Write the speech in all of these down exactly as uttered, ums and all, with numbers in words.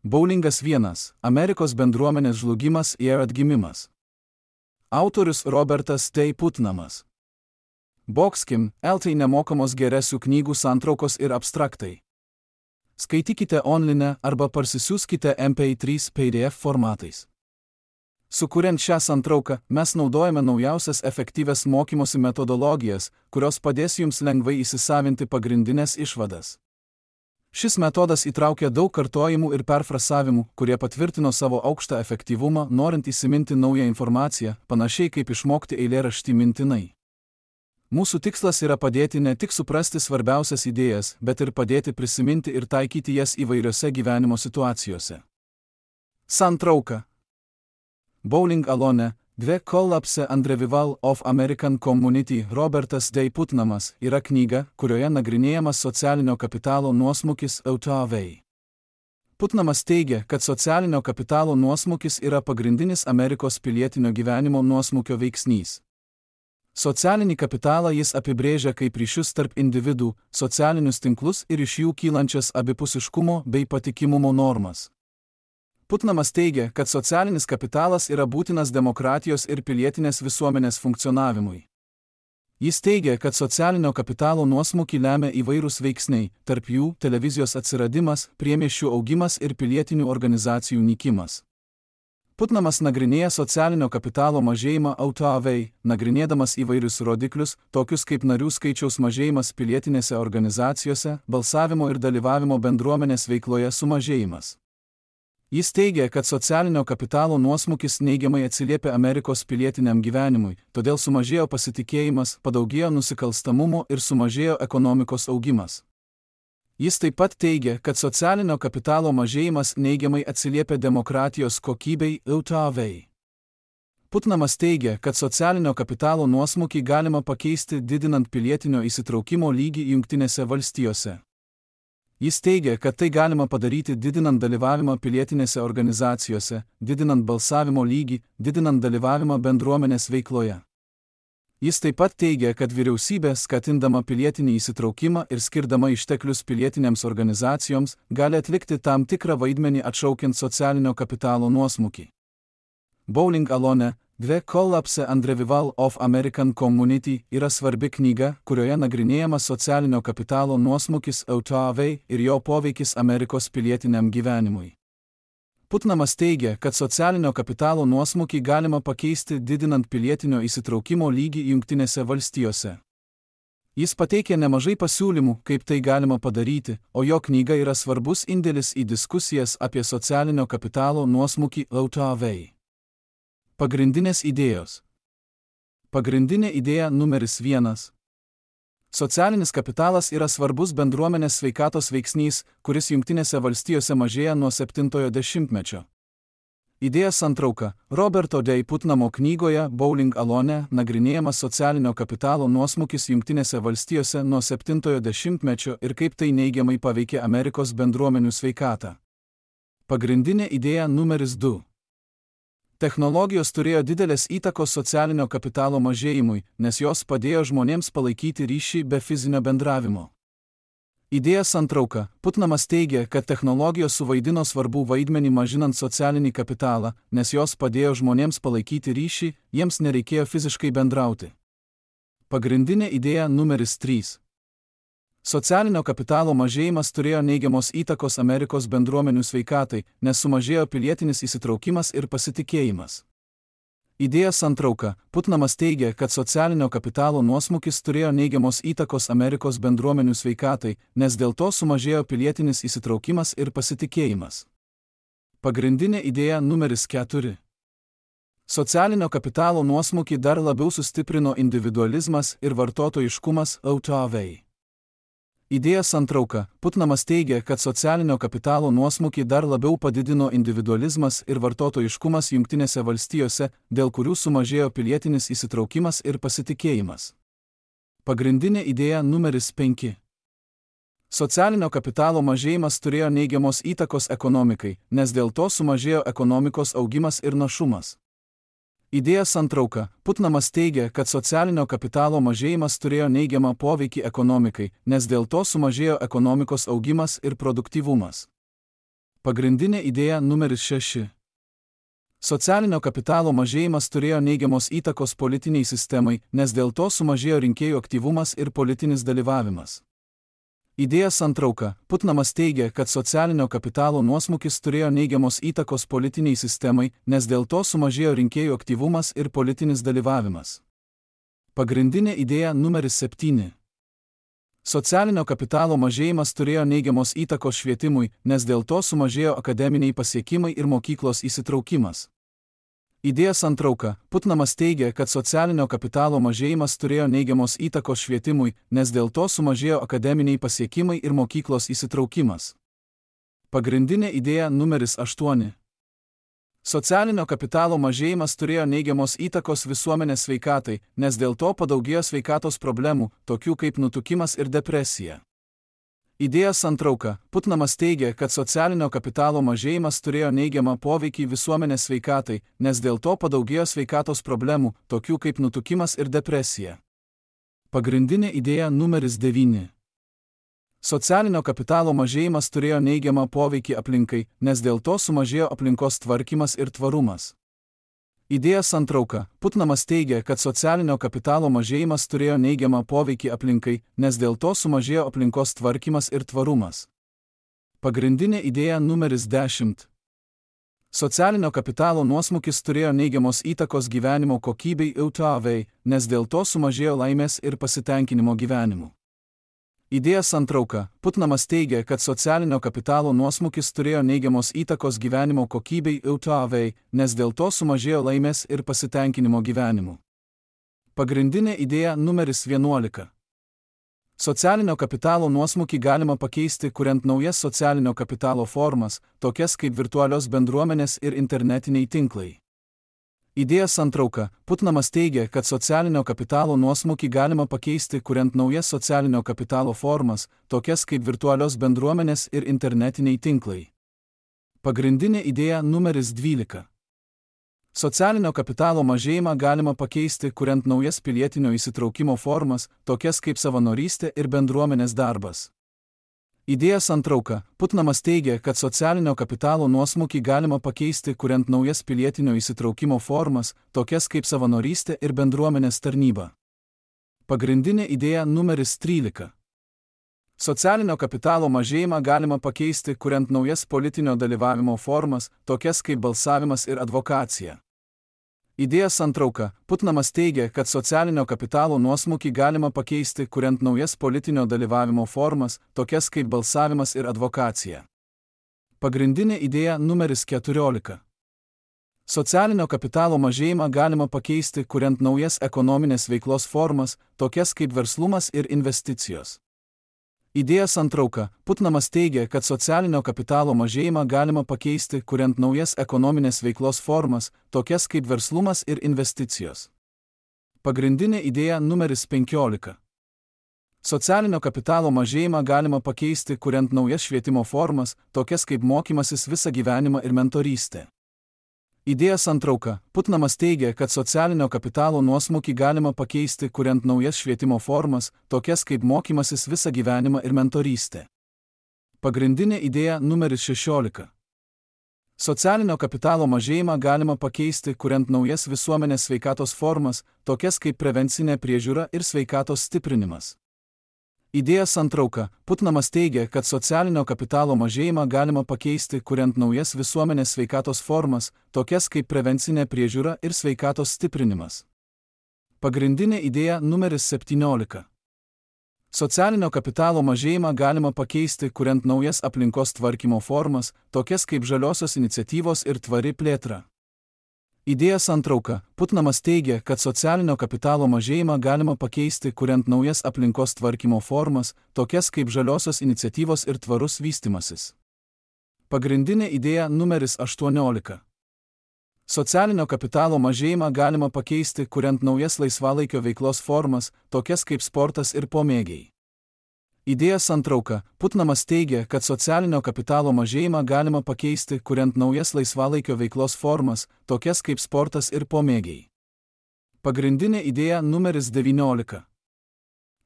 Boulingas vienas. Amerikos bendruomenės žlugimas ir atgimimas. Autorius Robertas T. Putnamas. Boxkim, eltai nemokamos geresių knygų santraukos ir abstraktai. Skaitykite online arba parsisiųskite M P trys P D F formatais. Sukuriant šią santrauką, mes naudojame naujausias efektyvias mokymosi metodologijas, kurios padės jums lengvai įsisavinti pagrindinės išvadas. Šis metodas įtraukia daug kartojimų ir perfrasavimų, kurie patvirtino savo aukštą efektyvumą, norint įsiminti naują informaciją, panašiai kaip išmokti eilėraštį mintinai. Mūsų tikslas yra padėti ne tik suprasti svarbiausias idėjas, bet ir padėti prisiminti ir taikyti jas įvairiose gyvenimo situacijose. Santrauka. Bowling Alone, dvi Collapse and Revival of American Community Robertas D. Putnamas yra knyga, kurioje nagrinėjamas socialinio kapitalo nuosmukis U T A V. Putnamas teigia, kad socialinio kapitalo nuosmukis yra pagrindinis Amerikos pilietinio gyvenimo nuosmukio veiksnys. Socialinį kapitalą jis apibrėžia kaip ryšius tarp individų, socialinius tinklus ir iš jų kylančias abipusiškumo bei patikimumo normas. Putnamas teigia, kad socialinis kapitalas yra būtinas demokratijos ir pilietinės visuomenės funkcionavimui. Jis teigia, kad socialinio kapitalo nuosmukį lemia įvairūs veiksniai, tarp jų televizijos atsiradimas, priemiesčių augimas ir pilietinių organizacijų nykimas. Putnamas nagrinėja socialinio kapitalo mažėjimą U T A V, nagrinėdamas įvairius rodiklius, tokius kaip narių skaičiaus mažėjimas pilietinėse organizacijose, balsavimo ir dalyvavimo bendruomenės veikloje sumažėjimas. Jis teigia, kad socialinio kapitalo nuosmukis neigiamai atsiliepia Amerikos pilietiniam gyvenimui, todėl sumažėjo pasitikėjimas, padaugėjo nusikalstamumo ir sumažėjo ekonomikos augimas. Jis taip pat teigia, kad socialinio kapitalo mažėjimas neigiamai atsiliepia demokratijos kokybei U T A V. Putnamas teigia, kad socialinio kapitalo nuosmukį galima pakeisti didinant pilietinio įsitraukimo lygį Jungtinėse valstijose. Jis teigia, kad tai galima padaryti didinant dalyvavimą pilietinėse organizacijose, didinant balsavimo lygį, didinant dalyvavimą bendruomenės veikloje. Jis taip pat teigia, kad vyriausybė, skatindama pilietinį įsitraukimą ir skirdama išteklius pilietinėms organizacijoms, gali atlikti tam tikrą vaidmenį atšaukiant socialinio kapitalo nuosmukį. Bowling Alone, dvi Collapse and Revival of American Community yra svarbi knyga, kurioje nagrinėjamas socialinio kapitalo nuosmukis U T A V ir jo poveikis Amerikos pilietiniam gyvenimui. Putnamas teigia, kad socialinio kapitalo nuosmukį galima pakeisti didinant pilietinio įsitraukimo lygį Jungtinėse valstijose. Jis pateikė nemažai pasiūlymų, kaip tai galima padaryti, o jo knyga yra svarbus indėlis į diskusijas apie socialinio kapitalo nuosmukį U T A V. Pagrindinės idėjos. Pagrindinė idėja numeris vienas. Socialinis kapitalas yra svarbus bendruomenės sveikatos veiksnys, kuris Jungtinėse valstijose mažėja nuo septintojo dešimtmečio. Idėja santrauka. Roberto D. Putnamo knygoje Bowling Alone nagrinėjamas socialinio kapitalo nuosmukis Jungtinėse valstijose nuo septintojo dešimtmečio ir kaip tai neigiamai paveikė Amerikos bendruomenių sveikatą. Pagrindinė idėja numeris du. Technologijos turėjo didelės įtakos socialinio kapitalo mažėjimui, nes jos padėjo žmonėms palaikyti ryšį be fizinio bendravimo. Idėja santrauka. Putnamas teigia, kad technologijos suvaidino svarbų vaidmenį mažinant socialinį kapitalą, nes jos padėjo žmonėms palaikyti ryšį, jiems nereikėjo fiziškai bendrauti. Pagrindinė idėja numeris trys. Socialinio kapitalo mažėjimas turėjo neigiamos įtakos Amerikos bendruomenių sveikatai, nes sumažėjo pilietinis įsitraukimas ir pasitikėjimas. Idėja santrauka. Putnamas teigia, kad socialinio kapitalo nuosmukis turėjo neigiamos įtakos Amerikos bendruomenių sveikatai, nes dėl to sumažėjo pilietinis įsitraukimas ir pasitikėjimas. Pagrindinė idėja numeris keturi. Socialinio kapitalo nuosmukį dar labiau sustiprino individualizmas ir vartotojiškumas U T A V. Idėja santrauka. Putnamas teigia, kad socialinio kapitalo nuosmukį dar labiau padidino individualizmas ir vartotojiškumas Jungtinėse valstijose, dėl kurių sumažėjo pilietinis įsitraukimas ir pasitikėjimas. Pagrindinė idėja numeris penki. Socialinio kapitalo mažėjimas turėjo neigiamos įtakos ekonomikai, nes dėl to sumažėjo ekonomikos augimas ir našumas. Idėja santrauka. Putnamas teigia, kad socialinio kapitalo mažėjimas turėjo neigiamą poveikį ekonomikai, nes dėl to sumažėjo ekonomikos augimas ir produktyvumas. Pagrindinė idėja numeris šeši. Socialinio kapitalo mažėjimas turėjo neigiamos įtakos politiniai sistemai, nes dėl to sumažėjo rinkėjų aktyvumas ir politinis dalyvavimas. Idėja santrauka. Putnamas teigia, kad socialinio kapitalo nuosmukis turėjo neigiamos įtakos politiniai sistemai, nes dėl to sumažėjo rinkėjų aktyvumas ir politinis dalyvavimas. Pagrindinė idėja numeris septyni. Socialinio kapitalo mažėjimas turėjo neigiamos įtakos švietimui, nes dėl to sumažėjo akademiniai pasiekimai ir mokyklos įsitraukimas. Idėja santrauka. Putnamas teigia, kad socialinio kapitalo mažėjimas turėjo neigiamos įtakos švietimui, nes dėl to sumažėjo akademiniai pasiekimai ir mokyklos įsitraukimas. Pagrindinė idėja numeris aštuoni. Socialinio kapitalo mažėjimas turėjo neigiamos įtakos visuomenės sveikatai, nes dėl to padaugėjo sveikatos problemų, tokių kaip nutukimas ir depresija. Idėja santrauka. Putnamas teigia, kad socialinio kapitalo mažėjimas turėjo neigiamą poveikį visuomenės sveikatai, nes dėl to padaugėjo sveikatos problemų, tokių kaip nutukimas ir depresija. Pagrindinė idėja numeris devyni. Socialinio kapitalo mažėjimas turėjo neigiamą poveikį aplinkai, nes dėl to sumažėjo aplinkos tvarkymas ir tvarumas. Idėja santrauka. Putnamas teigia, kad socialinio kapitalo mažėjimas turėjo neigiamą poveikį aplinkai, nes dėl to sumažėjo aplinkos tvarkymas ir tvarumas. Pagrindinė idėja numeris dešimt. Socialinio kapitalo nuosmukis turėjo neigiamos įtakos gyvenimo kokybei U T V, nes dėl to sumažėjo laimės ir pasitenkinimo gyvenimu. Idėja santrauka. Putnamas teigia, kad socialinio kapitalo nuosmukis turėjo neigiamos įtakos gyvenimo kokybei U T V, nes dėl to sumažėjo laimės ir pasitenkinimo gyvenimu. Pagrindinė idėja numeris vienuolika. Socialinio kapitalo nuosmukį galima pakeisti, kuriant naujas socialinio kapitalo formas, tokias kaip virtualios bendruomenės ir internetiniai tinklai. Idėja santrauka. Putnamas teigia, kad socialinio kapitalo nuosmukį galima pakeisti, kuriant naujas socialinio kapitalo formas, tokias kaip virtualios bendruomenės ir internetiniai tinklai. Pagrindinė idėja numeris dvylika. Socialinio kapitalo mažėjimą galima pakeisti, kuriant naujas pilietinio įsitraukimo formas, tokias kaip savanorystė ir bendruomenės darbas. Idėja santrauka. Putnamas teigia, kad socialinio kapitalo nuosmukį galima pakeisti, kuriant naujas pilietinio įsitraukimo formas, tokias kaip savanorystė ir bendruomenės tarnyba. Pagrindinė idėja numeris trylika. Socialinio kapitalo mažėjimą galima pakeisti, kuriant naujas politinio dalyvavimo formas, tokias kaip balsavimas ir advokacija. Idėja santrauka. Putnamas teigia, kad socialinio kapitalo nuosmukį galima pakeisti, kuriant naujas politinio dalyvavimo formas, tokias kaip balsavimas ir advokacija. Pagrindinė idėja numeris keturiolika. Socialinio kapitalo mažėjimą galima pakeisti, kuriant naujas ekonominės veiklos formas, tokias kaip verslumas ir investicijos. Idėja santrauka. Putnamas teigia, kad socialinio kapitalo mažėjimą galima pakeisti, kuriant naujas ekonominės veiklos formas, tokias kaip verslumas ir investicijos. Pagrindinė idėja numeris penkiolika. Socialinio kapitalo mažėjimą galima pakeisti, kuriant naujas švietimo formas, tokias kaip mokymasis visą gyvenimą ir mentorystė. Idėja santrauka. Putnamas teigia, kad socialinio kapitalo nuosmukį galima pakeisti, kuriant naujas švietimo formas, tokias kaip mokymasis visą gyvenimą ir mentorystė. Pagrindinė idėja numeris šešiolika. Socialinio kapitalo mažėjimą galima pakeisti, kuriant naujas visuomenės sveikatos formas, tokias kaip prevencinė priežiūra ir sveikatos stiprinimas. Idėja santrauka. Putnamas teigia, kad socialinio kapitalo mažėjimą galima pakeisti, kuriant naujas visuomenės sveikatos formas, tokias kaip prevencinė priežiūra ir sveikatos stiprinimas. Pagrindinė idėja numeris septyniolika. Socialinio kapitalo mažėjimą galima pakeisti, kuriant naujas aplinkos tvarkymo formas, tokias kaip žaliosios iniciatyvos ir tvari plėtra. Idėja santrauka. Putnamas teigia, kad socialinio kapitalo mažėjimą galima pakeisti, kuriant naujas aplinkos tvarkymo formas, tokias kaip žaliosios iniciatyvos ir tvarus vystymasis. Pagrindinė idėja numeris aštuoniolika. Socialinio kapitalo mažėjimą galima pakeisti, kuriant naujas laisvalaikio veiklos formas, tokias kaip sportas ir pomėgiai. Idėja santrauka. Putnamas teigia, kad socialinio kapitalo mažėjimą galima pakeisti, kuriant naujas laisvalaikio veiklos formas, tokias kaip sportas ir pomėgiai. Pagrindinė idėja numeris devyniolika.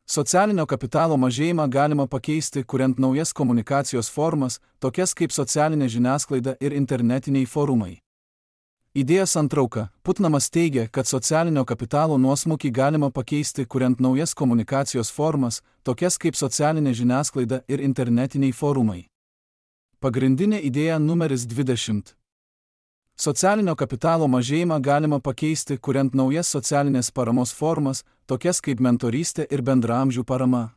Socialinio kapitalo mažėjimą galima pakeisti, kuriant naujas komunikacijos formas, tokias kaip socialinė žiniasklaida ir internetiniai forumai. Idėjos santrauka. Putnamas teigia, kad socialinio kapitalo nuosmukį galima pakeisti, kuriant naujas komunikacijos formas, tokias kaip socialinė žiniasklaida ir internetiniai forumai. Pagrindinė idėja numeris dvidešimt. Socialinio kapitalo mažėjimą galima pakeisti, kuriant naujas socialinės paramos formas, tokias kaip mentorystė ir bendraamžių parama.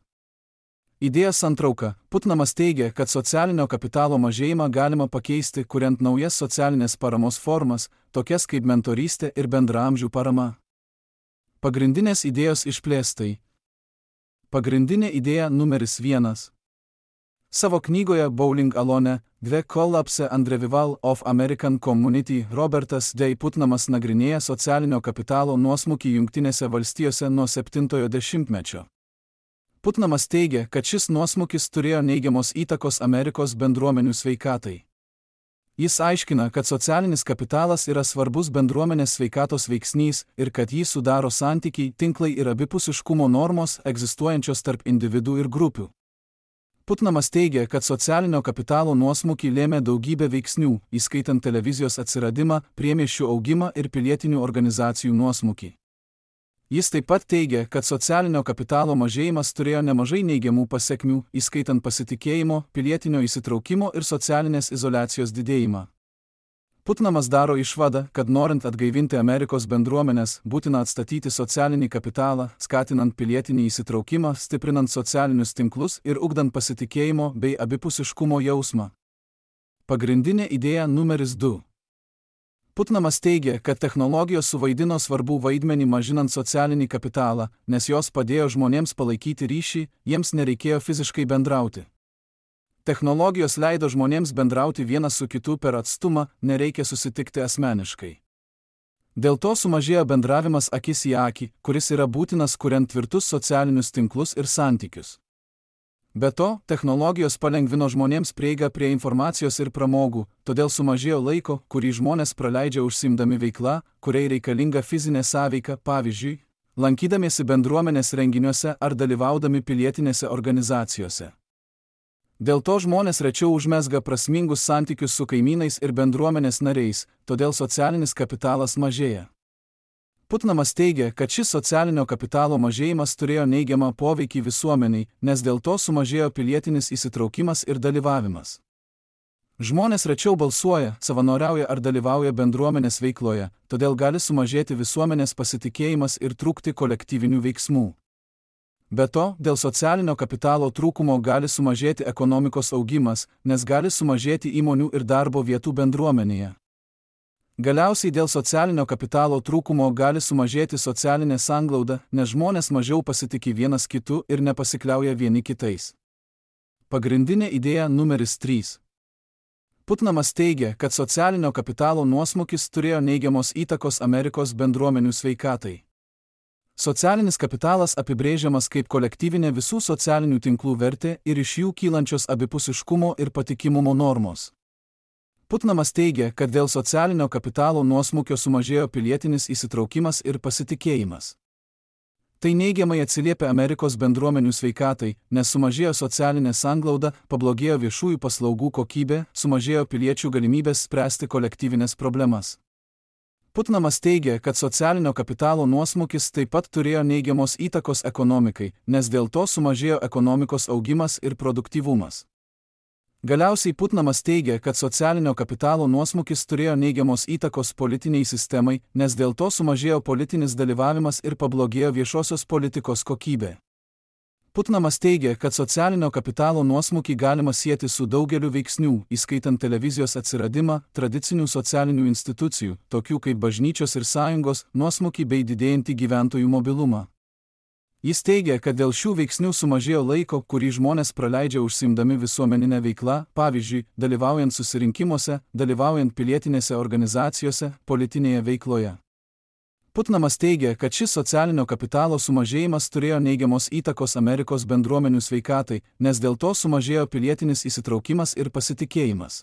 Idėjos santrauka. Putnamas teigia, kad socialinio kapitalo mažėjimą galima pakeisti, kuriant naujas socialinės paramos formas, tokias kaip mentorystė ir bendraamžių parama. Pagrindinės idėjos išplėstai. Pagrindinė idėja numeris vienas. Savo knygoje Bowling Alone, The Collapse and Revival of American Community Robertas D. Putnamas nagrinėja socialinio kapitalo nuosmukį Jungtinėse valstijose nuo septintojo dešimtmečio. Putnamas teigia, kad šis nuosmukis turėjo neigiamos įtakos Amerikos bendruomenių sveikatai. Jis aiškina, kad socialinis kapitalas yra svarbus bendruomenės sveikatos veiksnys ir kad jį sudaro santykiai, tinklai ir abipusiškumo normos egzistuojančios tarp individų ir grupių. Putnamas teigia, kad socialinio kapitalo nuosmukį lėmė daugybė veiksnių, įskaitant televizijos atsiradimą, priemiesčių augimą ir pilietinių organizacijų nuosmukį. Jis taip pat teigia, kad socialinio kapitalo mažėjimas turėjo nemažai neigiamų pasekmių, įskaitant pasitikėjimo, pilietinio įsitraukimo ir socialinės izoliacijos didėjimą. Putnamas daro išvadą, kad norint atgaivinti Amerikos bendruomenės, būtina atstatyti socialinį kapitalą, skatinant pilietinį įsitraukimą, stiprinant socialinius tinklus ir ugdant pasitikėjimo bei abipusiškumo jausmą. Pagrindinė idėja numeris du. Putnamas teigia, kad technologijos suvaidino svarbų vaidmenį mažinant socialinį kapitalą, nes jos padėjo žmonėms palaikyti ryšį, jiems nereikėjo fiziškai bendrauti. Technologijos leido žmonėms bendrauti vienas su kitu per atstumą, nereikia susitikti asmeniškai. Dėl to sumažėjo bendravimas akis į akį, kuris yra būtinas kuriant tvirtus socialinius tinklus ir santykius. Be to, technologijos palengvino žmonėms prieigą prie informacijos ir pramogų, todėl sumažėjo laiko, kurį žmonės praleidžia užsiimdami veikla, kuriai reikalinga fizinė sąveika, pavyzdžiui, lankydamiesi bendruomenės renginiuose ar dalyvaudami pilietinėse organizacijose. Dėl to žmonės rečiau užmezga prasmingus santykius su kaimynais ir bendruomenės nariais, todėl socialinis kapitalas mažėja. Putnamas teigia, kad šis socialinio kapitalo mažėjimas turėjo neigiamą poveikį visuomeniai, nes dėl to sumažėjo pilietinis įsitraukimas ir dalyvavimas. Žmonės rečiau balsuoja, savanoriauja ar dalyvauja bendruomenės veikloje, todėl gali sumažėti visuomenės pasitikėjimas ir trūkti kolektyvinių veiksmų. Be to, dėl socialinio kapitalo trūkumo gali sumažėti ekonomikos augimas, nes gali sumažėti įmonių ir darbo vietų bendruomenėje. Galiausiai dėl socialinio kapitalo trūkumo gali sumažėti socialinė sanglauda, nes žmonės mažiau pasitiki vienas kitu ir nepasikliauja vieni kitais. Pagrindinė idėja numeris trys. Putnamas teigia, kad socialinio kapitalo nuosmukis turėjo neigiamos įtakos Amerikos bendruomenių sveikatai. Socialinis kapitalas apibrėžiamas kaip kolektyvinė visų socialinių tinklų vertė ir iš jų kylančios abipusiškumo ir patikimumo normos. Putnamas teigia, kad dėl socialinio kapitalo nuosmukio sumažėjo pilietinis įsitraukimas ir pasitikėjimas. Tai neigiamai atsiliepia Amerikos bendruomenių sveikatai, nes sumažėjo socialinė sanglauda, pablogėjo viešųjų paslaugų kokybė, sumažėjo piliečių galimybės spręsti kolektyvinės problemas. Putnamas teigia, kad socialinio kapitalo nuosmukis taip pat turėjo neigiamos įtakos ekonomikai, nes dėl to sumažėjo ekonomikos augimas ir produktyvumas. Galiausiai Putnamas teigia, kad socialinio kapitalo nuosmukis turėjo neigiamos įtakos politiniai sistemai, nes dėl to sumažėjo politinis dalyvavimas ir pablogėjo viešosios politikos kokybė. Putnamas teigia, kad socialinio kapitalo nuosmukį galima sieti su daugeliu veiksnių, įskaitant televizijos atsiradimą, tradicinių socialinių institucijų, tokių kaip bažnyčios ir sąjungos, nuosmukį bei didėjantį gyventojų mobilumą. Jis teigia, kad dėl šių veiksnių sumažėjo laiko, kurį žmonės praleidžia užsiimdami visuomeninę veiklą, pavyzdžiui, dalyvaujant susirinkimuose, dalyvaujant pilietinėse organizacijose, politinėje veikloje. Putnamas teigia, kad šis socialinio kapitalo sumažėjimas turėjo neigiamos įtakos Amerikos bendruomenių sveikatai, nes dėl to sumažėjo pilietinis įsitraukimas ir pasitikėjimas.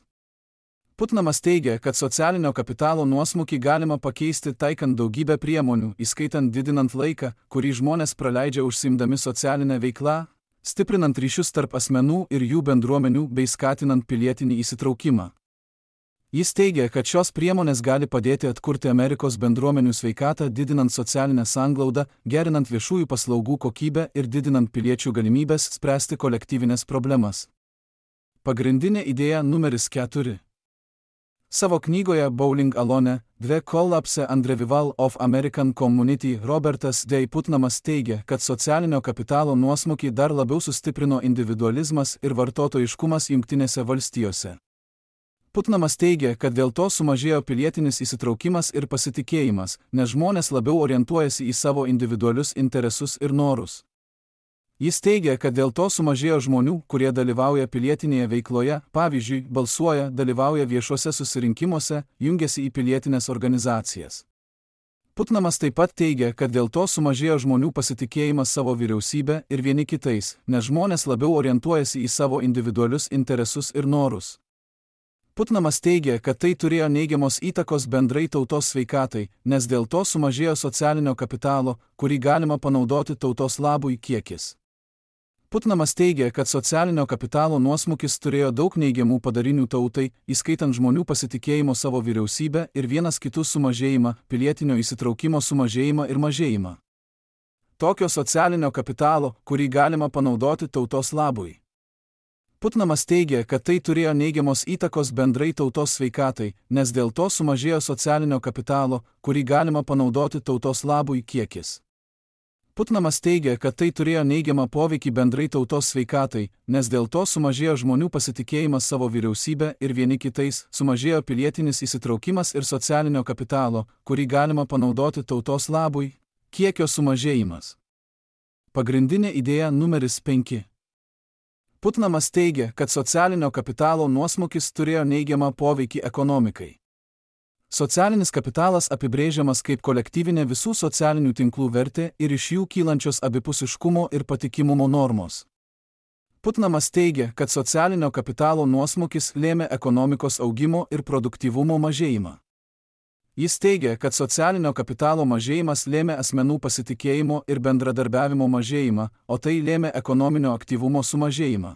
Putnamas teigia, kad socialinio kapitalo nuosmukį galima pakeisti taikant daugybę priemonių, įskaitant didinant laiką, kurį žmonės praleidžia užsiimdami socialinę veiklą, stiprinant ryšius tarp asmenų ir jų bendruomenių bei skatinant pilietinį įsitraukimą. Jis teigia, kad šios priemonės gali padėti atkurti Amerikos bendruomenių sveikatą, didinant socialinę sanglaudą, gerinant viešųjų paslaugų kokybę ir didinant piliečių galimybės spręsti kolektyvinės problemas. Pagrindinė idėja numeris keturi. Savo knygoje Bowling Alone, The Collapse and Revival of American Community Robertas D. Putnamas teigia, kad socialinio kapitalo nuosmukį dar labiau sustiprino individualizmas ir vartotojiškumas Jungtinėse valstijose. Putnamas teigia, kad dėl to sumažėjo pilietinis įsitraukimas ir pasitikėjimas, nes žmonės labiau orientuojasi į savo individualius interesus ir norus. Jis teigia, kad dėl to sumažėjo žmonių, kurie dalyvauja pilietinėje veikloje, pavyzdžiui, balsuoja, dalyvauja viešuose susirinkimuose, jungiasi į pilietinės organizacijas. Putnamas taip pat teigia, kad dėl to sumažėjo žmonių pasitikėjimas savo vyriausybę ir vieni kitais, nes žmonės labiau orientuojasi į savo individualius interesus ir norus. Putnamas teigia, kad tai turėjo neigiamos įtakos bendrai tautos sveikatai, nes dėl to sumažėjo socialinio kapitalo, kurį galima panaudoti tautos labui kiekis. Putnamas teigia, kad socialinio kapitalo nuosmukis turėjo daug neigiamų padarinių tautai, įskaitant žmonių pasitikėjimo savo vyriausybę ir vienas kitų sumažėjimą, pilietinio įsitraukimo sumažėjimą ir mažėjimą. Tokio socialinio kapitalo, kurį galima panaudoti tautos labui. Putnamas teigia, kad tai turėjo neigiamos įtakos bendrai tautos sveikatai, nes dėl to sumažėjo socialinio kapitalo, kurį galima panaudoti tautos labui kiekis. Putnamas teigia, kad tai turėjo neigiamą poveikį bendrai tautos sveikatai, nes dėl to sumažėjo žmonių pasitikėjimas savo vyriausybę ir vieni kitais, sumažėjo pilietinis įsitraukimas ir socialinio kapitalo, kurį galima panaudoti tautos labui, kiekio sumažėjimas. Pagrindinė idėja numeris penki. Putnamas teigia, kad socialinio kapitalo nuosmukis turėjo neigiamą poveikį ekonomikai. Socialinis kapitalas apibrėžiamas kaip kolektyvinė visų socialinių tinklų vertė ir iš jų kylančios abipusiškumo ir patikimumo normos. Putnamas teigia, kad socialinio kapitalo nuosmukis lėmė ekonomikos augimo ir produktyvumo mažėjimą. Jis teigia, kad socialinio kapitalo mažėjimas lėmė asmenų pasitikėjimo ir bendradarbiavimo mažėjimą, o tai lėmė ekonominio aktyvumo sumažėjimą.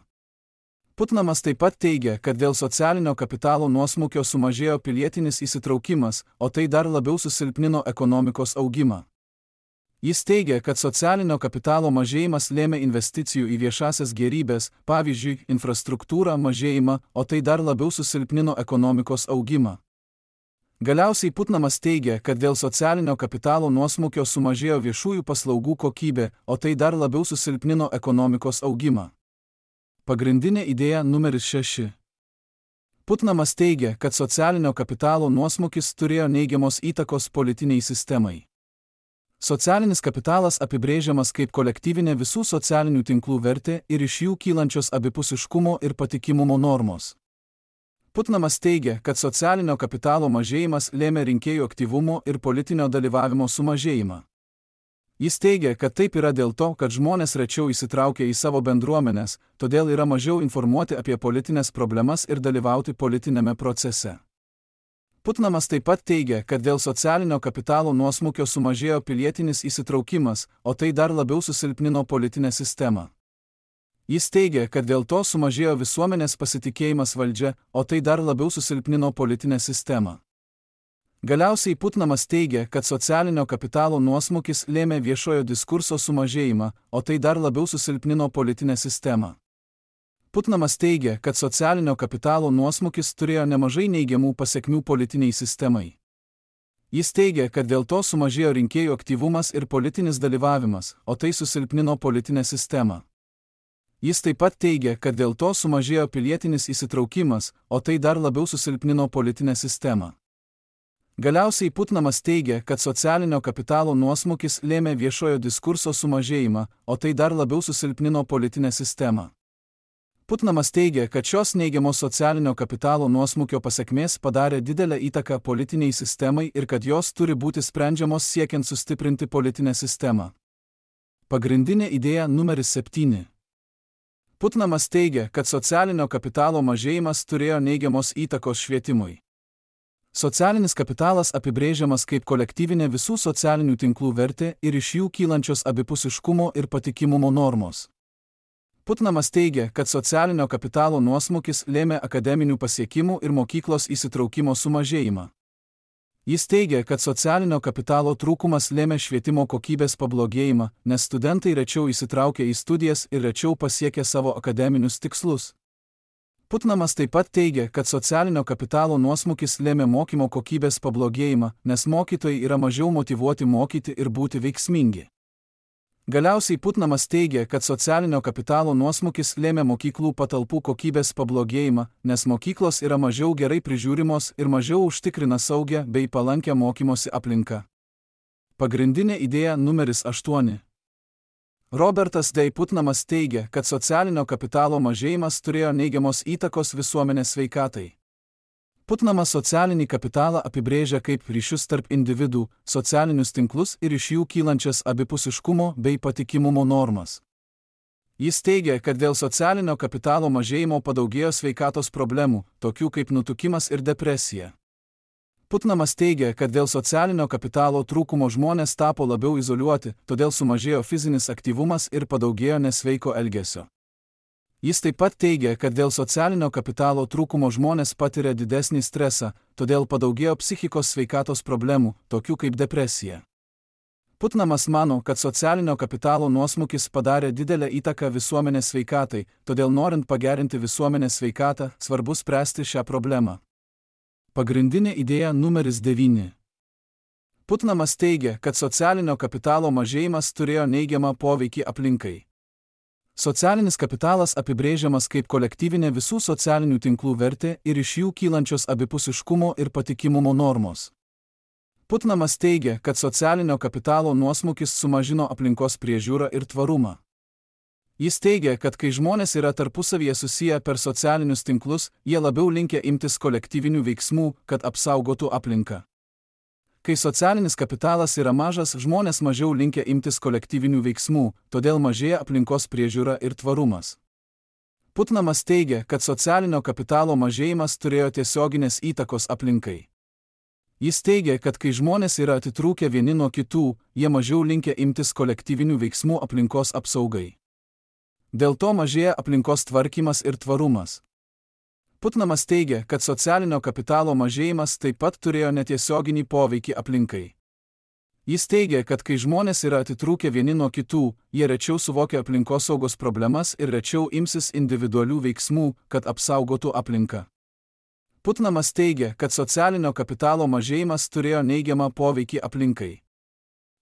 Putnamas taip pat teigia, kad dėl socialinio kapitalo nuosmukio sumažėjo pilietinis įsitraukimas, o tai dar labiau susilpnino ekonomikos augimą. Jis teigia, kad socialinio kapitalo mažėjimas lėmė investicijų į viešasias gėrybes, pavyzdžiui, infrastruktūrą mažėjimą, o tai dar labiau susilpnino ekonomikos augimą. Galiausiai Putnamas teigia, kad dėl socialinio kapitalo nuosmukio sumažėjo viešųjų paslaugų kokybė, o tai dar labiau susilpnino ekonomikos augimą. Pagrindinė idėja numeris šeši. Putnamas teigia, kad socialinio kapitalo nuosmukis turėjo neigiamos įtakos politiniai sistemai. Socialinis kapitalas apibrėžiamas kaip kolektyvinė visų socialinių tinklų vertė ir iš jų kylančios abipusiškumo ir patikimumo normos. Putnamas teigia, kad socialinio kapitalo mažėjimas lėmė rinkėjų aktyvumo ir politinio dalyvavimo sumažėjimą. Jis teigia, kad taip yra dėl to, kad žmonės rečiau įsitraukia į savo bendruomenes, todėl yra mažiau informuoti apie politinės problemas ir dalyvauti politinėme procese. Putnamas taip pat teigia, kad dėl socialinio kapitalo nuosmukio sumažėjo pilietinis įsitraukimas, o tai dar labiau susilpnino politinę sistemą. Jis teigia, kad dėl to sumažėjo visuomenės pasitikėjimas valdžia, o tai dar labiau susilpnino politinę sistemą. Galiausiai Putnamas teigia, kad socialinio kapitalo nuosmukis lėmė viešojo diskurso sumažėjimą, o tai dar labiau susilpnino politinę sistemą. Putnamas teigia, kad socialinio kapitalo nuosmukis turėjo nemažai neigiamų pasekmių politiniai sistemai. Jis teigia, kad dėl to sumažėjo rinkėjų aktyvumas ir politinis dalyvavimas, o tai susilpnino politinę sistemą. Jis taip pat teigia, kad dėl to sumažėjo pilietinis įsitraukimas, o tai dar labiau susilpnino politinę sistemą. Galiausiai Putnamas teigia, kad socialinio kapitalo nuosmukis lėmė viešojo diskurso sumažėjimą, o tai dar labiau susilpnino politinę sistemą. Putnamas teigia, kad šios neigiamos socialinio kapitalo nuosmukio pasekmės padarė didelę įtaką politiniai sistemai ir kad jos turi būti sprendžiamos siekiant sustiprinti politinę sistemą. Pagrindinė idėja numeris septyni. Putnamas teigia, kad socialinio kapitalo mažėjimas turėjo neigiamos įtakos švietimui. Socialinis kapitalas apibrėžiamas kaip kolektyvinė visų socialinių tinklų vertė ir iš jų kylančios abipusiškumo ir patikimumo normos. Putnamas teigia, kad socialinio kapitalo nuosmukis lėmė akademinių pasiekimų ir mokyklos įsitraukimo sumažėjimą. Jis teigia, kad socialinio kapitalo trūkumas lėmė švietimo kokybės pablogėjimą, nes studentai rečiau įsitraukia į studijas ir rečiau pasiekia savo akademinius tikslus. Putnamas taip pat teigia, kad socialinio kapitalo nuosmukis lėmė mokymo kokybės pablogėjimą, nes mokytojai yra mažiau motyvuoti mokyti ir būti veiksmingi. Galiausiai Putnamas teigia, kad socialinio kapitalo nuosmukis lėmė mokyklų patalpų kokybės pablogėjimą, nes mokyklos yra mažiau gerai prižiūrimos ir mažiau užtikrina saugią bei palankę mokymosi aplinką. Pagrindinė idėja numeris aštuoni. Robertas D. Putnamas teigia, kad socialinio kapitalo mažėjimas turėjo neigiamos įtakos visuomenės sveikatai. Putnamas socialinį kapitalą apibrėžia kaip ryšius tarp individų, socialinius tinklus ir iš jų kylančias abipusiškumo bei patikimumo normas. Jis teigia, kad dėl socialinio kapitalo mažėjimo padaugėjo sveikatos problemų, tokių kaip nutukimas ir depresija. Putnamas teigia, kad dėl socialinio kapitalo trūkumo žmonės tapo labiau izoliuoti, todėl sumažėjo fizinis aktyvumas ir padaugėjo nesveiko elgesio. Jis taip pat teigia, kad dėl socialinio kapitalo trūkumo žmonės patiria didesnį stresą, todėl padaugėjo psichikos sveikatos problemų, tokių kaip depresija. Putnamas mano, kad socialinio kapitalo nuosmukis padarė didelę įtaką visuomenės sveikatai, todėl norint pagerinti visuomenės sveikatą, svarbu spręsti šią problemą. Pagrindinė idėja numeris devyni. Putnamas teigia, kad socialinio kapitalo mažėjimas turėjo neigiamą poveikį aplinkai. Socialinis kapitalas apibrėžiamas kaip kolektyvinė visų socialinių tinklų vertė ir iš jų kylančios abipusiškumo ir patikimumo normos. Putnamas teigia, kad socialinio kapitalo nuosmukis sumažino aplinkos priežiūrą ir tvarumą. Jis teigia, kad kai žmonės yra tarpusavyje susiję per socialinius tinklus, jie labiau linkę imtis kolektyvinių veiksmų, kad apsaugotų aplinką. Kai socialinis kapitalas yra mažas, žmonės mažiau linkę imtis kolektyvinių veiksmų, todėl mažėja aplinkos priežiūra ir tvarumas. Putnamas teigia, kad socialinio kapitalo mažėjimas turėjo tiesioginės įtakos aplinkai. Jis teigia, kad kai žmonės yra atitrūkę vieni nuo kitų, jie mažiau linkę imtis kolektyvinių veiksmų aplinkos apsaugai. Dėl to mažėja aplinkos tvarkymas ir tvarumas. Putnamas teigia, kad socialinio kapitalo mažėjimas taip pat turėjo netiesioginį poveikį aplinkai. Jis teigia, kad kai žmonės yra atitrūkę vieni nuo kitų, jie rečiau suvokia aplinkosaugos problemas ir rečiau imsis individualių veiksmų, kad apsaugotų aplinką. Putnamas teigia, kad socialinio kapitalo mažėjimas turėjo neigiamą poveikį aplinkai.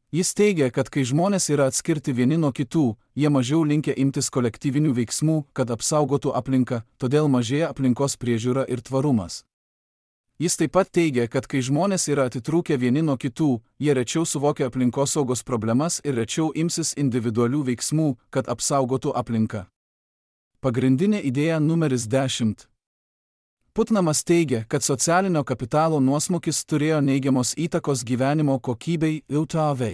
Jis teigia, kad kai žmonės yra atskirti vieni nuo kitų, jie mažiau linkę imtis kolektyvinių veiksmų, kad apsaugotų aplinką, todėl mažėja aplinkos priežiūra ir tvarumas. Jis taip pat teigia, kad kai žmonės yra atitrūkę vieni nuo kitų, jie rečiau suvokia aplinkosaugos problemas ir rečiau imsis individualių veiksmų, kad apsaugotų aplinką. Pagrindinė idėja numeris dešimt. Putnamas teigia, kad socialinio kapitalo nuosmukis turėjo neigiamos įtakos gyvenimo kokybei I T V.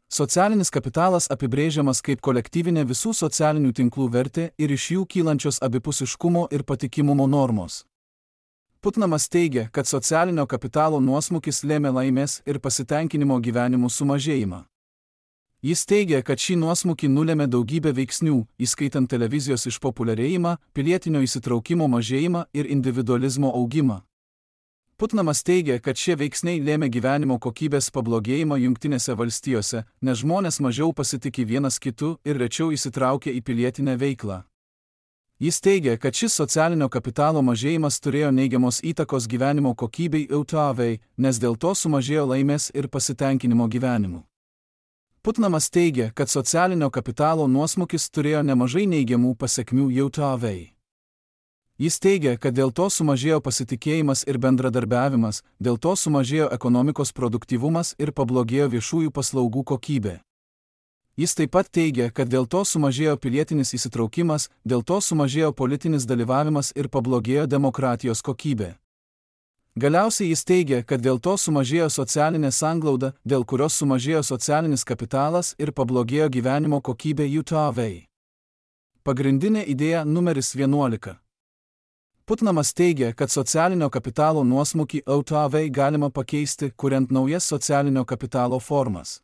Socialinis kapitalas apibrėžiamas kaip kolektyvinė visų socialinių tinklų vertė ir iš jų kylančios abipusiškumo ir patikimumo normos. Putnamas teigia, kad socialinio kapitalo nuosmukis lėmė laimės ir pasitenkinimo gyvenimu sumažėjimą. Jis teigia, kad šį nuosmukį nulėmė daugybė veiksnių, įskaitant televizijos išpopuliarėjimą, pilietinio įsitraukimo mažėjimą ir individualizmo augimą. Putnamas teigia, kad šie veiksniai lėmė gyvenimo kokybės pablogėjimą Jungtinėse valstijose, nes žmonės mažiau pasitiki vienas kitu ir rečiau įsitraukia į pilietinę veiklą. Jis teigia, kad šis socialinio kapitalo mažėjimas turėjo neigiamos įtakos gyvenimo kokybei I T V, nes dėl to sumažėjo laimės ir pasitenkinimo gyvenimu. Putnamas teigia, kad socialinio kapitalo nuosmukis turėjo nemažai neigiamų pasekmių I T V. Jis teigia, kad dėl to sumažėjo pasitikėjimas ir bendradarbiavimas, dėl to sumažėjo ekonomikos produktyvumas ir pablogėjo viešųjų paslaugų kokybė. Jis taip pat teigia, kad dėl to sumažėjo pilietinis įsitraukimas, dėl to sumažėjo politinis dalyvavimas ir pablogėjo demokratijos kokybė. Galiausiai jis teigia, kad dėl to sumažėjo socialinė sanglauda, dėl kurios sumažėjo socialinis kapitalas ir pablogėjo gyvenimo kokybė I T V. Pagrindinė idėja numeris vienuolika. Putnamas teigia, kad socialinio kapitalo nuosmukį O T A V galima pakeisti, kuriant naujas socialinio kapitalo formas.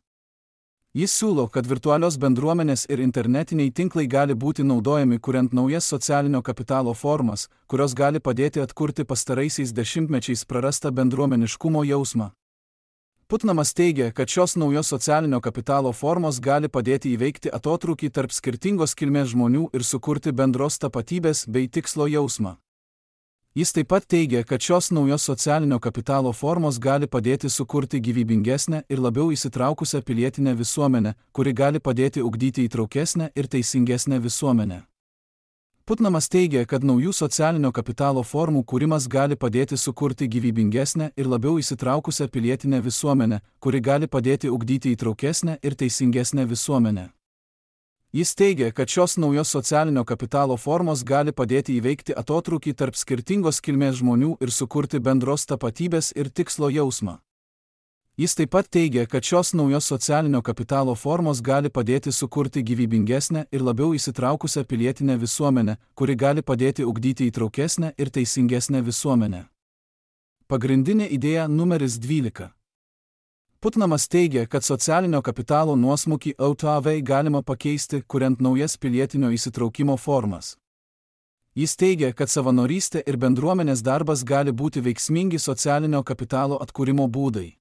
Jis siūlo, kad virtualios bendruomenės ir internetiniai tinklai gali būti naudojami, kuriant naujas socialinio kapitalo formas, kurios gali padėti atkurti pastaraisiais dešimtmečiais prarastą bendruomeniškumo jausmą. Putnamas teigia, kad šios naujos socialinio kapitalo formos gali padėti įveikti atotrūkį tarp skirtingos kilmės žmonių ir sukurti bendros tapatybės bei tikslo jausmą. Jis taip pat teigia, kad šios naujos socialinio kapitalo formos gali padėti sukurti gyvybingesnę ir labiau įsitraukusią pilietinę visuomenę, kuri gali padėti ugdyti įtraukesnę ir teisingesnę visuomenę. Putnamas teigia, kad naujų socialinio kapitalo formų kūrimas gali padėti sukurti gyvybingesnę ir labiau įsitraukusią pilietinę visuomenę, kuri gali padėti ugdyti įtraukesnę ir teisingesnę visuomenę. Jis teigia, kad šios naujos socialinio kapitalo formos gali padėti įveikti atotrūkį tarp skirtingos kilmės žmonių ir sukurti bendros tapatybės ir tikslo jausmą. Jis taip pat teigia, kad šios naujos socialinio kapitalo formos gali padėti sukurti gyvybingesnę ir labiau įsitraukusią pilietinę visuomenę, kuri gali padėti ugdyti įtraukesnę ir teisingesnę visuomenę. Pagrindinė idėja numeris dvylika. Putnamas teigia, kad socialinio kapitalo nuosmukį O T A V galima pakeisti, kuriant naujas pilietinio įsitraukimo formas. Jis teigia, kad savanorystė ir bendruomenės darbas gali būti veiksmingi socialinio kapitalo atkūrimo būdai.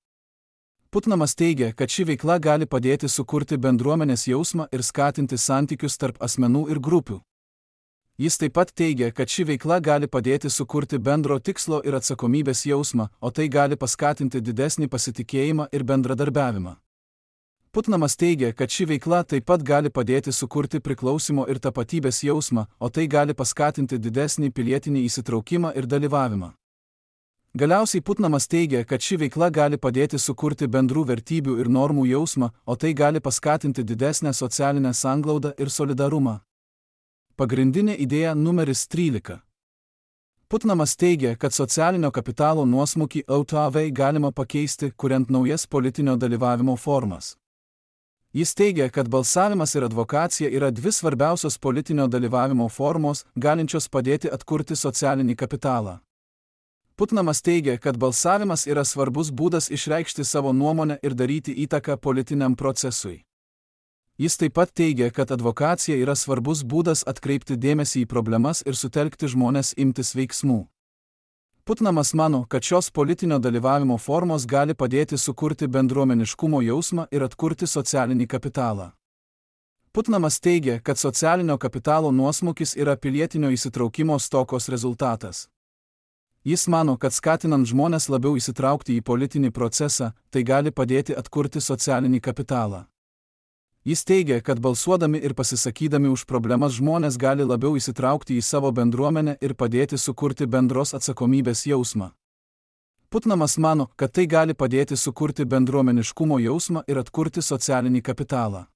Putnamas teigia, kad ši veikla gali padėti sukurti bendruomenės jausmą ir skatinti santykius tarp asmenų ir grupių. Jis taip pat teigia, kad ši veikla gali padėti sukurti bendro tikslo ir atsakomybės jausmą, o tai gali paskatinti didesnį pasitikėjimą ir bendradarbiavimą. Putnamas teigia, kad ši veikla taip pat gali padėti sukurti priklausimo ir tapatybės jausmą, o tai gali paskatinti didesnį pilietinį įsitraukimą ir dalyvavimą. Galiausiai Putnamas teigia, kad ši veikla gali padėti sukurti bendrų vertybių ir normų jausmą, o tai gali paskatinti didesnę socialinę sanglaudą ir solidarumą. Pagrindinė idėja numeris trylika. Putnamas teigia, kad socialinio kapitalo nuosmukį O T A V galima pakeisti, kuriant naujas politinio dalyvavimo formas. Jis teigia, kad balsavimas ir advokacija yra dvi svarbiausios politinio dalyvavimo formos, galinčios padėti atkurti socialinį kapitalą. Putnamas teigia, kad balsavimas yra svarbus būdas išreikšti savo nuomonę ir daryti įtaką politiniam procesui. Jis taip pat teigia, kad advokacija yra svarbus būdas atkreipti dėmesį į problemas ir sutelkti žmones imtis veiksmų. Putnamas mano, kad šios politinio dalyvavimo formos gali padėti sukurti bendruomeniškumo jausmą ir atkurti socialinį kapitalą. Putnamas teigia, kad socialinio kapitalo nuosmukis yra pilietinio įsitraukimo stokos rezultatas. Jis mano, kad skatinant žmones labiau įsitraukti į politinį procesą, tai gali padėti atkurti socialinį kapitalą. Jis teigia, kad balsuodami ir pasisakydami už problemas žmonės gali labiau įsitraukti į savo bendruomenę ir padėti sukurti bendros atsakomybės jausmą. Putnamas mano, kad tai gali padėti sukurti bendruomeniškumo jausmą ir atkurti socialinį kapitalą.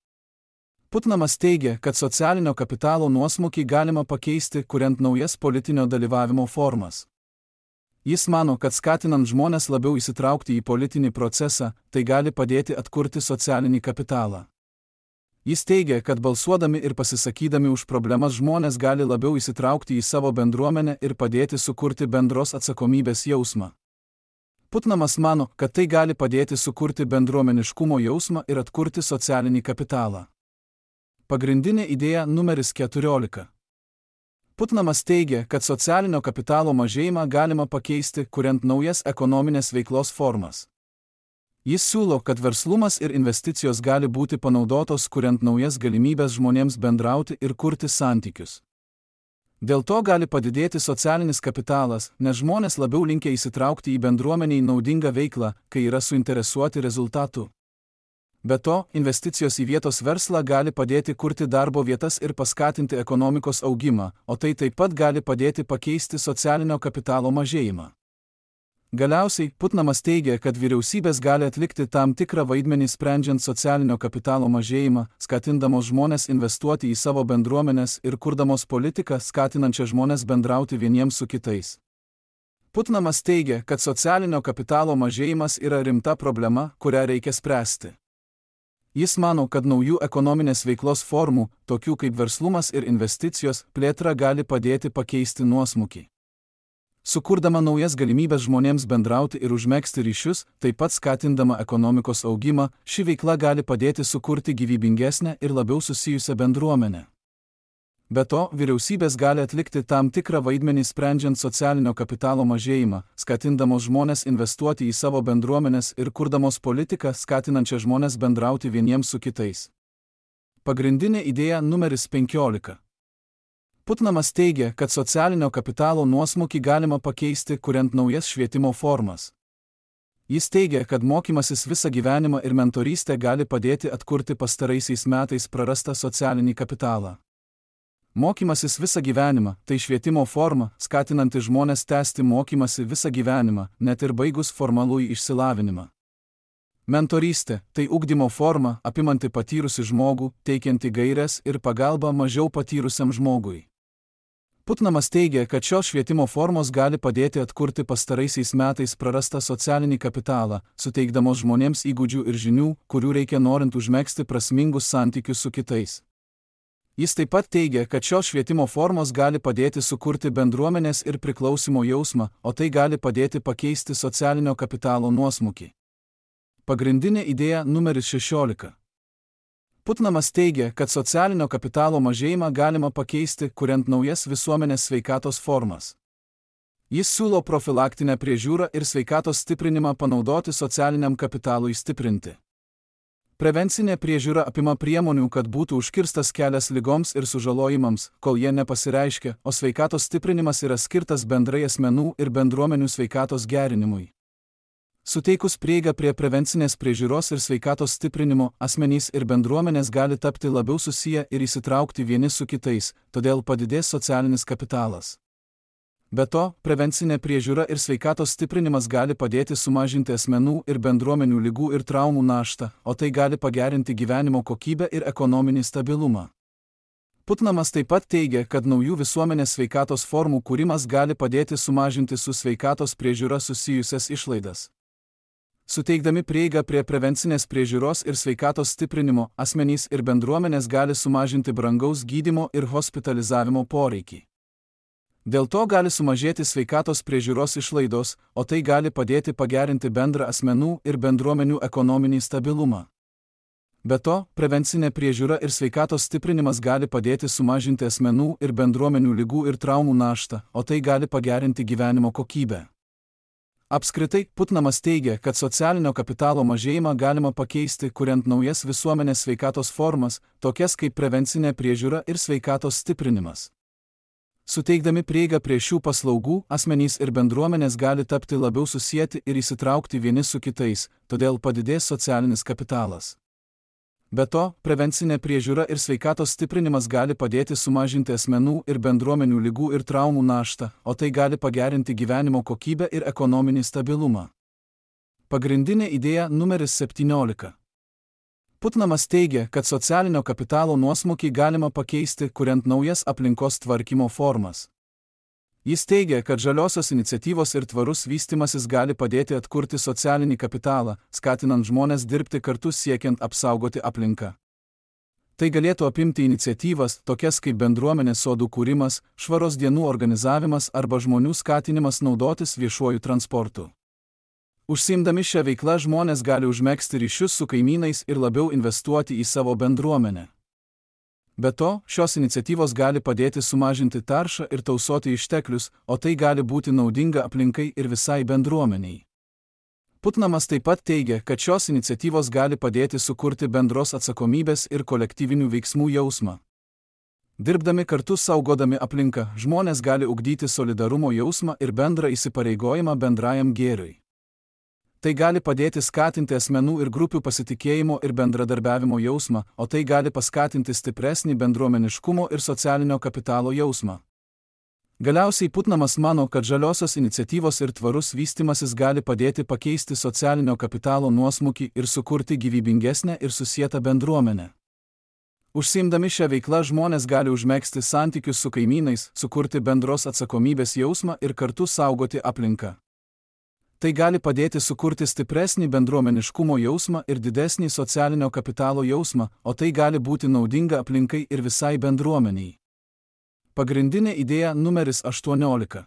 Putnamas teigia, kad socialinio kapitalo nuosmukį galima pakeisti, kuriant naujas politinio dalyvavimo formas. Jis mano, kad skatinant žmones labiau įsitraukti į politinį procesą, tai gali padėti atkurti socialinį kapitalą. Jis teigia, kad balsuodami ir pasisakydami už problemas žmonės gali labiau įsitraukti į savo bendruomenę ir padėti sukurti bendros atsakomybės jausmą. Putnamas mano, kad tai gali padėti sukurti bendruomeniškumo jausmą ir atkurti socialinį kapitalą. Pagrindinė idėja numeris keturiolika. Putnamas teigia, kad socialinio kapitalo mažėjimą galima pakeisti, kuriant naujas ekonominės veiklos formas. Jis siūlo, kad verslumas ir investicijos gali būti panaudotos, kuriant naujas galimybės žmonėms bendrauti ir kurti santykius. Dėl to gali padidėti socialinis kapitalas, nes žmonės labiau linkę įsitraukti į bendruomeniai naudingą veiklą, kai yra suinteresuoti rezultatu. Be to, investicijos į vietos verslą gali padėti kurti darbo vietas ir paskatinti ekonomikos augimą, o tai taip pat gali padėti pakeisti socialinio kapitalo mažėjimą. Galiausiai, Putnamas teigia, kad vyriausybės gali atlikti tam tikrą vaidmenį sprendžiant socialinio kapitalo mažėjimą, skatindamos žmonės investuoti į savo bendruomenes ir kurdamos politiką, skatinančią žmonės bendrauti vieniems su kitais. Putnamas teigia, kad socialinio kapitalo mažėjimas yra rimta problema, kurią reikia spręsti. Jis mano, kad naujų ekonominės veiklos formų, tokių kaip verslumas ir investicijos, plėtra gali padėti pakeisti nuosmukį. Sukurdama naujas galimybės žmonėms bendrauti ir užmegzti ryšius, taip pat skatindama ekonomikos augimą, ši veikla gali padėti sukurti gyvybingesnę ir labiau susijusią bendruomenę. Be to, vyriausybės gali atlikti tam tikrą vaidmenį sprendžiant socialinio kapitalo mažėjimą, skatindamos žmonės investuoti į savo bendruomenes ir kurdamos politiką, skatinančią žmonės bendrauti vieniems su kitais. Pagrindinė idėja numeris penkiolika. Putnamas teigia, kad socialinio kapitalo nuosmukį galima pakeisti, kuriant naujas švietimo formas. Jis teigia, kad mokymasis visą gyvenimą ir mentorystė gali padėti atkurti pastaraisiais metais prarastą socialinį kapitalą. Mokymasis visą gyvenimą – tai švietimo forma, skatinanti žmonės tęsti mokymasi visą gyvenimą, net ir baigus formalųjį išsilavinimą. Mentorystė – tai ugdymo forma, apimanti patyrusį žmogų, teikianti gaires ir pagalbą mažiau patyrusiam žmogui. Putnamas teigia, kad šios švietimo formos gali padėti atkurti pastaraisiais metais prarastą socialinį kapitalą, suteikdamos žmonėms įgūdžių ir žinių, kurių reikia norint užmegzti prasmingus santykius su kitais. Jis taip pat teigia, kad šios švietimo formos gali padėti sukurti bendruomenės ir priklausimo jausmą, o tai gali padėti pakeisti socialinio kapitalo nuosmukį. Pagrindinė idėja numeris šešiolika. Putnamas teigia, kad socialinio kapitalo mažėjimą galima pakeisti, kuriant naujas visuomenės sveikatos formas. Jis siūlo profilaktinę priežiūrą ir sveikatos stiprinimą panaudoti socialiniam kapitalui stiprinti. Prevencinė priežiūra apima priemonių, kad būtų užkirstas kelias ligoms ir sužalojimams, kol jie nepasireiškia, o sveikatos stiprinimas yra skirtas bendrai asmenų ir bendruomenių sveikatos gerinimui. Suteikus prieigą prie prevencinės priežiūros ir sveikatos stiprinimo, asmenys ir bendruomenės gali tapti labiau susiję ir įsitraukti vieni su kitais, todėl padidės socialinis kapitalas. Be to, prevencinė priežiūra ir sveikatos stiprinimas gali padėti sumažinti asmenų ir bendruomenių ligų ir traumų naštą, o tai gali pagerinti gyvenimo kokybę ir ekonominį stabilumą. Putnamas taip pat teigia, kad naujų visuomenės sveikatos formų kūrimas gali padėti sumažinti su sveikatos priežiūra susijusias išlaidas. Suteikdami prieigą prie prevencinės priežiūros ir sveikatos stiprinimo, asmenys ir bendruomenės gali sumažinti brangaus gydymo ir hospitalizavimo poreikį. Dėl to gali sumažėti sveikatos priežiūros išlaidos, o tai gali padėti pagerinti bendrą asmenų ir bendruomenių ekonominį stabilumą. Be to, prevencinė priežiūra ir sveikatos stiprinimas gali padėti sumažinti asmenų ir bendruomenių ligų ir traumų naštą, o tai gali pagerinti gyvenimo kokybę. Apskritai, Putnamas teigia, kad socialinio kapitalo mažėjimą galima pakeisti, kuriant naujas visuomenės sveikatos formas, tokias kaip prevencinė priežiūra ir sveikatos stiprinimas. Suteikdami prieigą prie šių paslaugų, asmenys ir bendruomenės gali tapti labiau susieti ir įsitraukti vieni su kitais, todėl padidės socialinis kapitalas. Be to, prevencinė priežiūra ir sveikatos stiprinimas gali padėti sumažinti asmenų ir bendruomenių ligų ir traumų naštą, o tai gali pagerinti gyvenimo kokybę ir ekonominį stabilumą. Pagrindinė idėja numeris septyniolika. Putnamas teigia, kad socialinio kapitalo nuosmukį galima pakeisti, kuriant naujas aplinkos tvarkymo formas. Jis teigia, kad žaliosios iniciatyvos ir tvarus vystimasis gali padėti atkurti socialinį kapitalą, skatinant žmones dirbti kartu siekiant apsaugoti aplinką. Tai galėtų apimti iniciatyvas, tokias kaip bendruomenės sodų kūrimas, švaros dienų organizavimas arba žmonių skatinimas naudotis viešuoju transportu. Užsiimdami šią veiklą žmonės gali užmegzti ryšius su kaimynais ir labiau investuoti į savo bendruomenę. Be to, šios iniciatyvos gali padėti sumažinti taršą ir tausoti išteklius, o tai gali būti naudinga aplinkai ir visai bendruomeniai. Putnamas taip pat teigia, kad šios iniciatyvos gali padėti sukurti bendros atsakomybės ir kolektyvinių veiksmų jausmą. Dirbdami kartu saugodami aplinką, žmonės gali ugdyti solidarumo jausmą ir bendrą įsipareigojimą bendrajam gėriui. Tai gali padėti skatinti asmenų ir grupių pasitikėjimo ir bendradarbiavimo jausmą, o tai gali paskatinti stipresnį bendruomeniškumo ir socialinio kapitalo jausmą. Galiausiai Putnamas mano, kad žaliosios iniciatyvos ir tvarus vystimasis gali padėti pakeisti socialinio kapitalo nuosmukį ir sukurti gyvybingesnę ir susietą bendruomenę. Užsiimdami šią veiklą žmonės gali užmegzti santykius su kaimynais, sukurti bendros atsakomybės jausmą ir kartu saugoti aplinką. Tai gali padėti sukurti stipresnį bendruomeniškumo jausmą ir didesnį socialinio kapitalo jausmą, o tai gali būti naudinga aplinkai ir visai bendruomeniai. Pagrindinė idėja numeris aštuoniolika.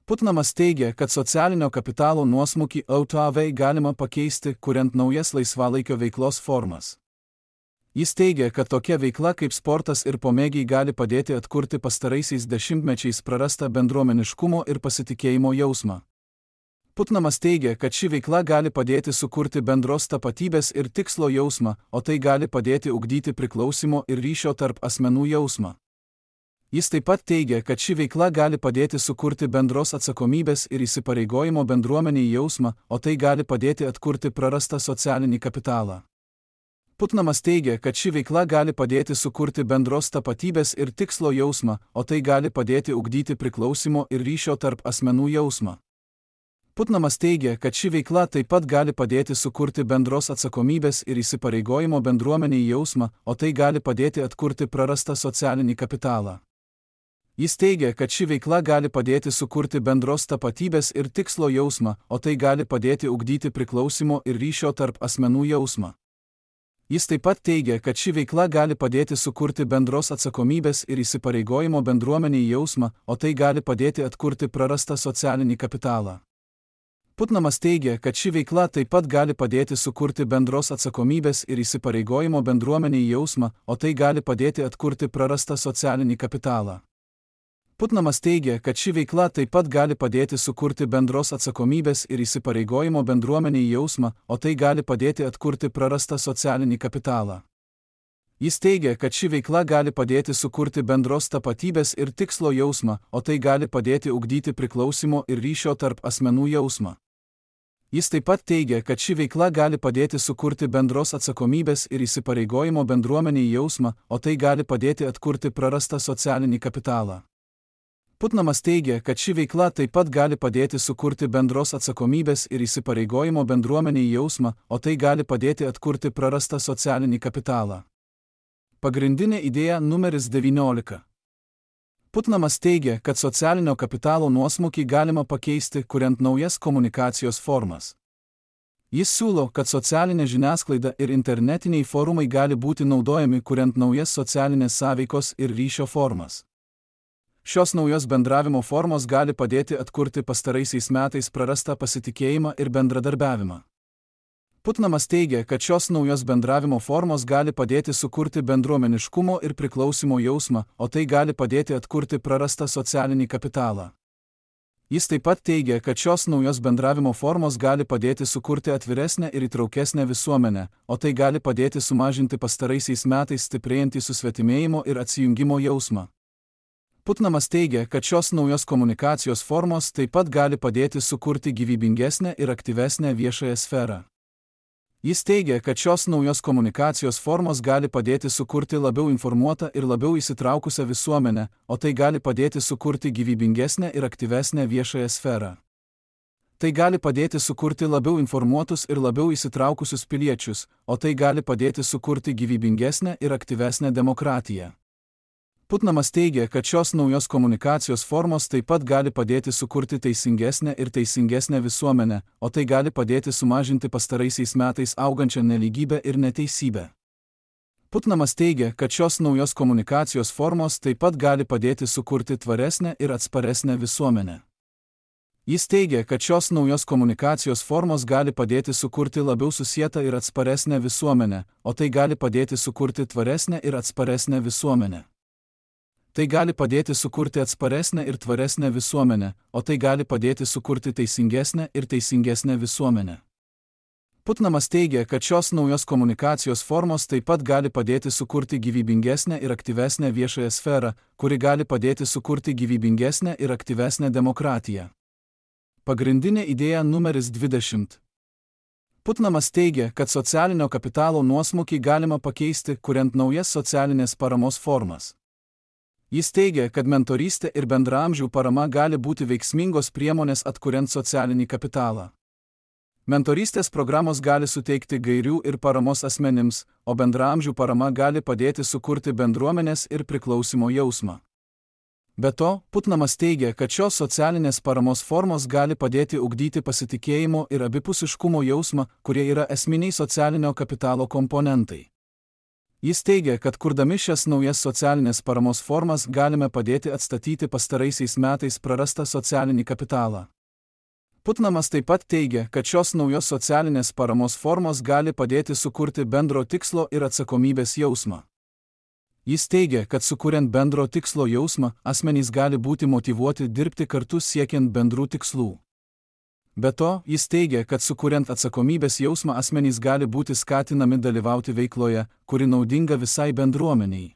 Putnamas teigia, kad socialinio kapitalo nuosmukį O T V galima pakeisti, kuriant naujas laisvalaikio veiklos formas. Jis teigia, kad tokia veikla kaip sportas ir pomėgiai gali padėti atkurti pastaraisiais dešimtmečiais prarastą bendruomeniškumo ir pasitikėjimo jausmą. Putnamas teigia, kad ši veikla gali padėti sukurti bendros tapatybės ir tikslo jausmą, o tai gali padėti ugdyti priklausimo ir ryšio tarp asmenų jausmą. Jis taip pat teigia, kad ši veikla gali padėti sukurti bendros atsakomybės ir įsipareigojimo bendruomeniai jausmą, o tai gali padėti atkurti prarastą socialinį kapitalą. Putnamas teigia, kad ši veikla gali padėti sukurti bendros tapatybės ir tikslo jausmą, o tai gali padėti ugdyti priklausimo ir ryšio tarp asmenų jausmą. Putnamas teigia, kad ši veikla taip pat gali padėti sukurti bendros atsakomybės ir įsipareigojimo bendruomeniai jausmą, o tai gali padėti atkurti prarastą socialinį kapitalą. Jis teigia, kad ši veikla gali padėti sukurti bendros tapatybės ir tikslo jausmą, o tai gali padėti ugdyti priklausimo ir ryšio tarp asmenų jausmą. Jis taip pat teigia, kad ši veikla gali padėti sukurti bendros atsakomybės ir įsipareigojimo bendruomeniai jausmą, o tai gali padėti atkurti prarastą socialinį kapitalą. Putnamas teigia, kad ši veikla taip pat gali padėti sukurti bendros atsakomybės ir įsipareigojimo bendruomeniai jausmą, o tai gali padėti atkurti prarastą socialinį kapitalą. Putnamas teigia, kad ši veikla taip pat gali padėti sukurti bendros atsakomybės ir įsipareigojimo bendruomeniai jausmą, o tai gali padėti atkurti prarastą socialinį kapitalą. Jis teigia, kad ši veikla gali padėti sukurti bendros tapatybės ir tikslo jausmą, o tai gali padėti ugdyti priklausimo ir ryšio tarp asmenų jausmą. Jis taip pat teigia, kad ši veikla gali padėti sukurti bendros atsakomybės ir įsipareigojimo bendruomeniai jausmą, o tai gali padėti atkurti prarastą socialinį kapitalą. Putnamas teigia, kad ši veikla taip pat gali padėti sukurti bendros atsakomybės ir įsipareigojimo bendruomeniai jausmą, o tai gali padėti atkurti prarastą socialinį kapitalą. Pagrindinė idėja numeris devyniolika. Putnamas teigia, kad socialinio kapitalo nuosmukį galima pakeisti, kuriant naujas komunikacijos formas. Jis siūlo, kad socialinė žiniasklaida ir internetiniai forumai gali būti naudojami, kuriant naujas socialinės sąveikos ir ryšio formas. Šios naujos bendravimo formos gali padėti atkurti pastaraisiais metais prarastą pasitikėjimą ir bendradarbiavimą. Putnamas teigia, kad šios naujos bendravimo formos gali padėti sukurti bendruomeniškumo ir priklausimo jausmą, o tai gali padėti atkurti prarastą socialinį kapitalą. Jis taip pat teigia, kad šios naujos bendravimo formos gali padėti sukurti atviresnę ir įtraukesnę visuomenę, o tai gali padėti sumažinti pastaraisiais metais stiprėjantį susvetimėjimo ir atsijungimo jausmą. Putnamas teigia, kad šios naujos komunikacijos formos taip pat gali padėti sukurti gyvybingesnę ir aktyvesnę viešąją sferą. Jis teigia, kad šios naujos komunikacijos formos gali padėti sukurti labiau informuotą ir labiau įsitraukusią visuomenę, o tai gali padėti sukurti gyvybingesnę ir aktyvesnę viešąją sferą. Tai gali padėti sukurti labiau informuotus ir labiau įsitraukusius piliečius, o tai gali padėti sukurti gyvybingesnę ir aktyvesnę demokratiją. Putnamas teigia, kad šios naujos komunikacijos formos taip pat gali padėti sukurti teisingesnę ir teisingesnę visuomenę, o tai gali padėti sumažinti pastaraisiais metais augančią nelygybę ir neteisybę. Putnamas teigia, kad šios naujos komunikacijos formos taip pat gali padėti sukurti tvaresnę ir atsparesnę visuomenę. Jis teigia, kad šios naujos komunikacijos formos gali padėti sukurti labiau susietą ir atsparesnę visuomenę, o tai gali padėti sukurti tvaresnę ir atsparesnę visuomenę. Tai gali padėti sukurti atsparesnę ir tvaresnę visuomenę, o tai gali padėti sukurti teisingesnę ir teisingesnę visuomenę. Putnamas teigia, kad šios naujos komunikacijos formos taip pat gali padėti sukurti gyvybingesnę ir aktyvesnę viešąją sferą, kuri gali padėti sukurti gyvybingesnę ir aktyvesnę demokratiją. Pagrindinė idėja numeris dvidešimt. Putnamas teigia, kad socialinio kapitalo nuosmukį galima pakeisti, kuriant naujas socialinės paramos formas. Jis teigia, kad mentorystė ir bendraamžių parama gali būti veiksmingos priemonės atkuriant socialinį kapitalą. Mentorystės programos gali suteikti gairių ir paramos asmenims, o bendraamžių parama gali padėti sukurti bendruomenės ir priklausimo jausmą. Be to, Putnamas teigia, kad šios socialinės paramos formos gali padėti ugdyti pasitikėjimo ir abipusiškumo jausmą, kurie yra esminiai socialinio kapitalo komponentai. Jis teigia, kad kurdami šias naujas socialinės paramos formas galime padėti atstatyti pastaraisiais metais prarastą socialinį kapitalą. Putnamas taip pat teigia, kad šios naujos socialinės paramos formos gali padėti sukurti bendro tikslo ir atsakomybės jausmą. Jis teigia, kad sukuriant bendro tikslo jausmą, asmenys gali būti motyvuoti dirbti kartu siekiant bendrų tikslų. Be to, jis teigia, kad sukuriant atsakomybės jausmą asmenys gali būti skatinami dalyvauti veikloje, kuri naudinga visai bendruomeniai.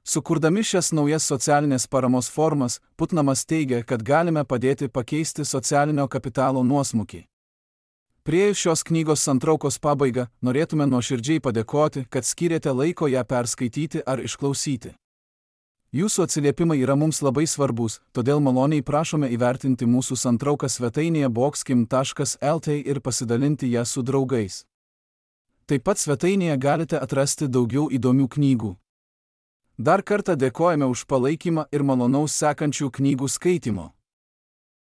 Sukurdami šias naujas socialinės paramos formas, Putnamas teigia, kad galime padėti pakeisti socialinio kapitalo nuosmukį. Priėjus šios knygos santraukos pabaigą, norėtume nuoširdžiai padėkoti, kad skyrėte laiko ją perskaityti ar išklausyti. Jūsų atsiliepimai yra mums labai svarbus, todėl maloniai prašome įvertinti mūsų santrauką svetainėje boxkim taškas el t ir pasidalinti ją su draugais. Taip pat svetainėje galite atrasti daugiau įdomių knygų. Dar kartą dėkojame už palaikymą ir malonaus sekančių knygų skaitymo.